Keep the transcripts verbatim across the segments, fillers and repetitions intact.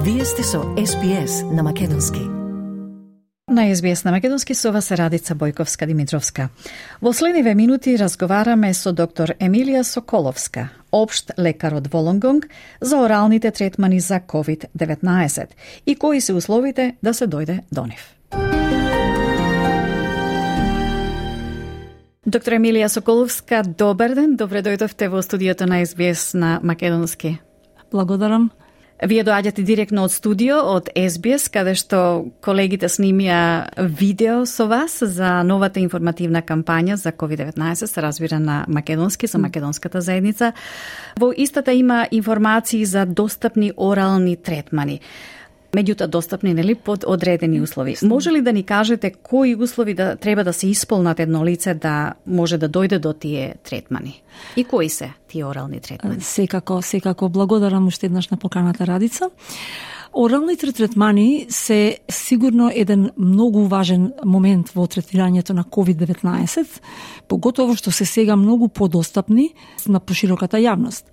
Вие сте со Ес Би Ес на Македонски. На Ес Би Ес на Македонски со вас е Радица Бојковска-Димитровска. Во следниве минути разговараме со доктор Емилија Соколовска, општ лекар од Волонгонг, за оралните третмани за ковид деветнаесет и кои се условите да се дојде до нив. Доктор Емилија Соколовска, добар ден, добре дојдовте во студиото на Ес Би Ес на Македонски. Благодарам. Вие доаѓате директно од студио, од Ес Би Ес, каде што колегите снимија видео со вас за новата информативна кампања за ковид деветнаесет, се разбира на македонски, за македонската заедница. Во истата има информации за достапни орални третмани. Меѓутоа достапни, нели, под одредени услови. Може ли да ни кажете кои услови да треба да се исполнат едно лице да може да дојде до тие третмани? И кои се тие орални третмани? Секако, секако благодарам уште еднаш на поканата, Радица. Оралните третмани се сигурно еден многу важен момент во третирањето на ковид деветнаесет, поготово што се сега многу подостапни на пошироката јавност.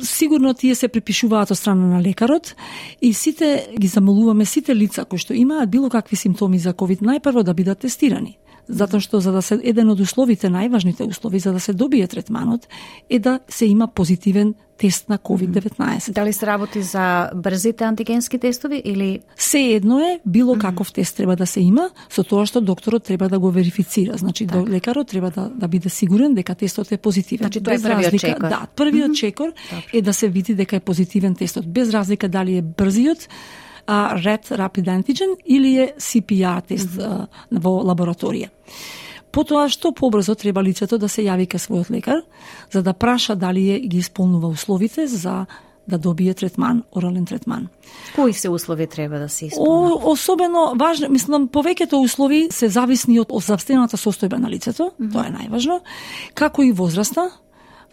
Сигурно тие се припишуваат од страна на лекарот и сите ги замолуваме сите лица кои што имаат било какви симптоми за ковид најпрво да бидат тестирани. Затоа што за да се еден од условите, најважните услови за да се добие третманот е да се има позитивен тест на ковид деветнаесет. Дали се работи за брзите антигенски тестови или се едно е било каков тест треба да се има, со тоа што докторот треба да го верифицира. Значи так. Лекарот треба да да биде сигурен дека тестот е позитивен. Значи тоа е првиот чекор. Да, првиот mm-hmm. чекор е да се види дека е позитивен тестот, без разлика дали е брзиот а, ред Rapid Antigen или е Си Пи Ар тест mm-hmm. а, во лабораторија. Потоа што побрзо треба лицето да се јави кај својот лекар за да праша дали е ги исполнува условите за да добие третман, орален третман. Кои се услови треба да се исполнат? О, особено важно, мислам, повеќето услови се зависни од здравствената состојба на лицето, mm-hmm. тоа е најважно, како и возраста.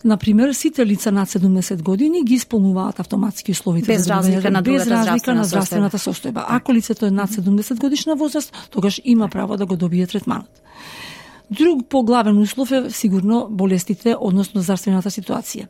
Например, сите лица над седумдесет години ги исполнуваат автоматски условите без за разлика на без разлика здравствена на здравствената состојба. Ако лицето е над седумдесет годишна возраст, тогаш има право да го добие третманот. Друг поглавен услов е сигурно болестите, односно здравствената ситуација.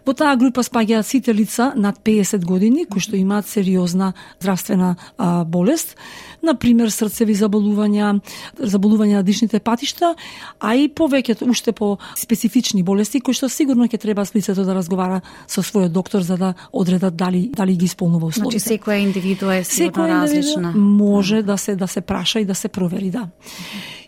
Во таа група спаѓаат сите лица над педесет години кои што имаат сериозна здравствена а, болест, например срцеви заболувања, заболувања на дишните патишта, а и повеќето уште по специфични болести кои што сигурно ќе треба лицето да разговара со својот доктор за да одредат дали дали ги исполнува условите. Значи секоја индивидуа е сигурно различна. Може да се да се праша и да се провери, да.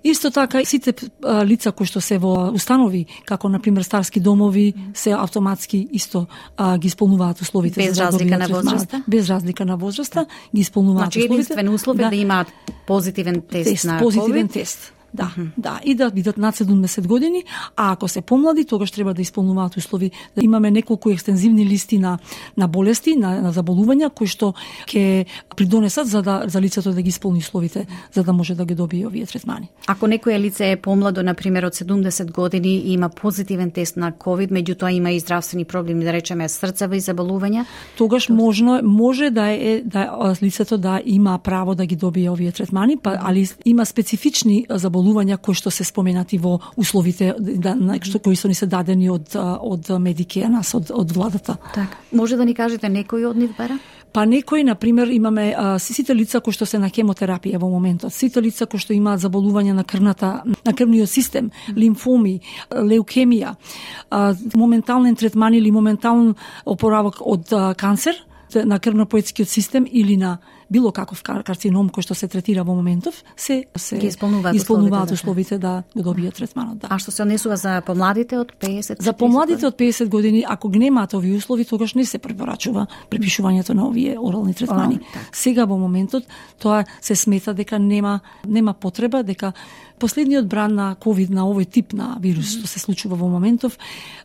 Исто така сите а, лица кои што се во установи, како на пример старски домови, се автоматски исто а, ги исполнуваат условите без за да разлика на возраста. Без разлика на возраста ги исполнуваат значи, условите. Значи единствен услов е да, да имаат позитивен тест, тест на позитивен COVID. тест. Да, mm-hmm. да, и да бидат над седумдесет години, а ако се помлади, тогаш треба да исполнуваат услови. Да имаме неколку екстензивни листи на на болести, на, на заболувања кои што ќе придонесат за да за лицето да ги исполни условите, за да може да ги добие овие третмани. Ако некоја лице е помладо, на пример од седумдесет години и има позитивен тест на ковид, меѓутоа има и здравствени проблеми, да речеме срцеви заболувања, тогаш можно може да е да лицето да има право да ги добие овие третмани, па али има специфични заболувања кои што се споменати во условите да, што кои што ни се дадени од од Медике, нас од од владата. Така. Може да ни кажете некои од нив бара? Па некои, на пример, имаме а, сите лица кои што се на хемотерапија во моментот, сите лица кои што имаат заболување на крвната, на крвниот систем, лимфоми, леукемија, а, моментален третман или моментален опоравок од а, канцер на крвно-поетскиот систем или на било каков карцином кој што се третира во моментов, се се ги исполнуваат, исполнуваат условите да го добијат третманот. Да. А што се однесува за помладите од педесет? За помладите од педесет години, ако ги немаат овие услови, тогаш не се препорачува препишувањето на овие орални третмани. О, сега во моментот тоа се смета дека нема нема потреба, дека последниот бран на ковид, на овој тип на вирус што се случува во моментов,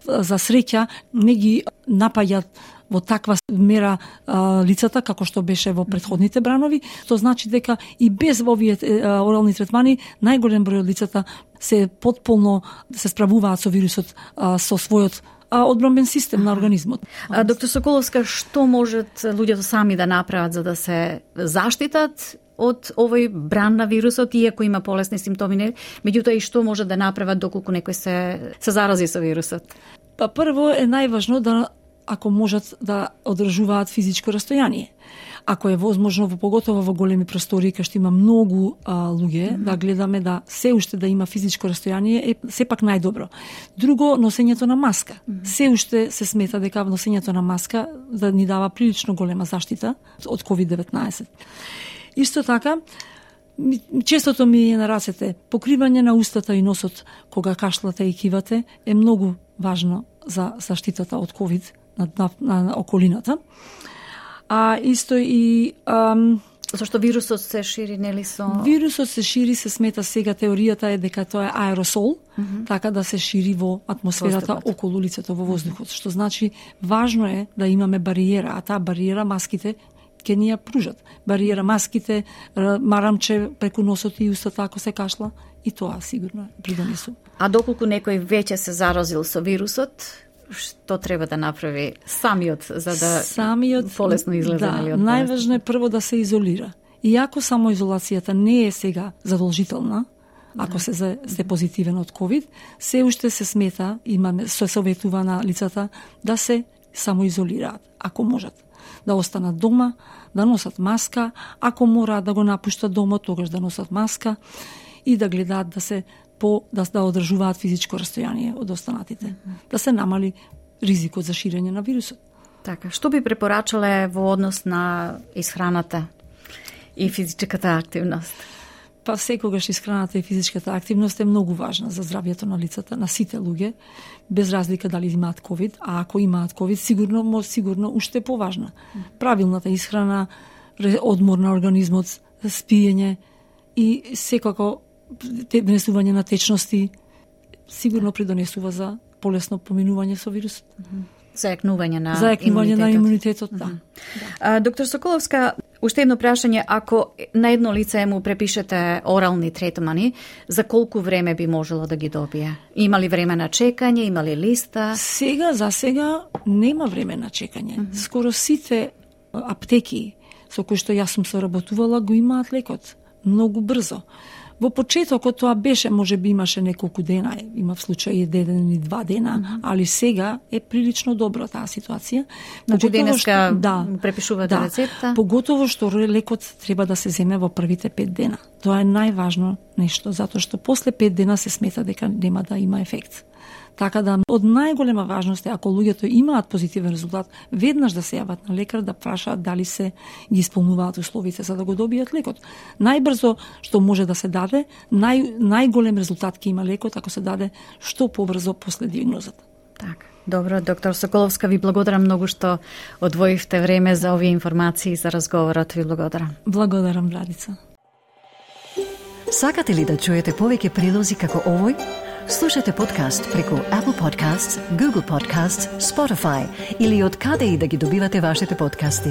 за среќа не ги напаѓаат во таква мера а, лицата како што беше во претходните бранови, тоа значи дека и без овие а, орални третмани најголем број од лицата се потполно се справуваат со вирусот а, со својот а, одбранбен систем на организмот. А, доктор Соколовска, што можат луѓето сами да направат за да се заштитат од овој бран на вирусот, иако има полесни симптоми, меѓутоа и што може да направат доколку некој се се зарази со вирусот? Па прво е најважно да ако можат да одржуваат физичко растојание. Ако е возможно, во поготово во големи простори кај што има многу а, луѓе, mm-hmm. да гледаме да се уште да има физичко растојание е сепак најдобро. Друго, носењето на маска. Mm-hmm. Се уште се смета дека носењето на маска да ни дава прилично голема заштита од ковид деветнаесет. Исто така, честото ми е на рацете, покривање на устата и носот кога кашлате и кивате е многу важно за заштитата од ковид на, на, на околината. А исто и ам, зашто вирусот се шири, нели со... Вирусот се шири, се смета сега, теоријата е дека тоа е аеросол, mm-hmm. така да се шири во атмосферата воздухот, околу лицето, во воздухот, mm-hmm. што значи важно е да имаме бариера, а таа бариера маските ќе ни ја пружат. Бариера маските, марамче преку носот и устата ако се кашла, и тоа сигурно придонесува. А доколку некој веќе се заразил со вирусот, што треба да направи самиот за да самиот полесно излезе, да, нели, од најважно е прво да се изолира. Иако самоизолацијата не е сега задолжителна, ако да. се се позитивен од ковид, се уште се смета, имаме се советува на лицата да се самоизолираат, ако можат. Да останат дома, да носат маска, ако мораат да го напуштат домот, тогаш да носат маска и да гледаат да се по да да одржуваат физичко растојание од останатите, mm-hmm. да се намали ризикот за ширење на вирусот. Така, што би препорачале во однос на исхраната и физичката активност? Па секогаш исхраната и физичката активност е многу важна за здравјето на лицата, на сите луѓе, без разлика дали имаат ковид, а ако имаат ковид, сигурно, сигурно уште поважна. Правилната исхрана, одмор на организмот, спиење и секако внесување на течности сигурно придонесува за полесно поминување со вирусот. Зајакнување на Зајакнување имунитетот. на имунитетот, да. А, доктор Соколовска, уште едно прашање, ако на едно лице му препишете орални третмани, за колку време би можело да ги добие? Има ли време на чекање, има ли листа? Сега, за сега, нема време на чекање. Mm-hmm. Скоро сите аптеки со кои што јас сум соработувала го имаат лекот. Многу брзо. Во почетокот тоа беше, може би имаше неколку дена, има в случај еден или два дена, mm-hmm. али сега е прилично добро таа ситуација. Значи денеска да, препишувате да, рецепта? Поготово што лекот треба да се земе во првите пет дена. Тоа е најважно нешто, затоа што после пет дена се смета дека нема да има ефект. Така да, од најголема важност е, ако луѓето имаат позитивен резултат, веднаш да се јават на лекар да прашаат дали се ги исполнуваат условите за да го добијат лекот. Најбрзо што може да се даде, нај, најголем резултат ќе има лекот ако се даде што побрзо после диагнозата. Така. Добро, доктор Соколовска, ви благодарам многу што одвоивте време за овие информации за разговорот. Ви благодарам. Благодарам, Владица. Сакате ли да чуете повеќе прилози како овој? Слушате подкаст преку Apple Podcasts, Google Podcasts, Spotify или од каде и да ги добивате вашите подкасти.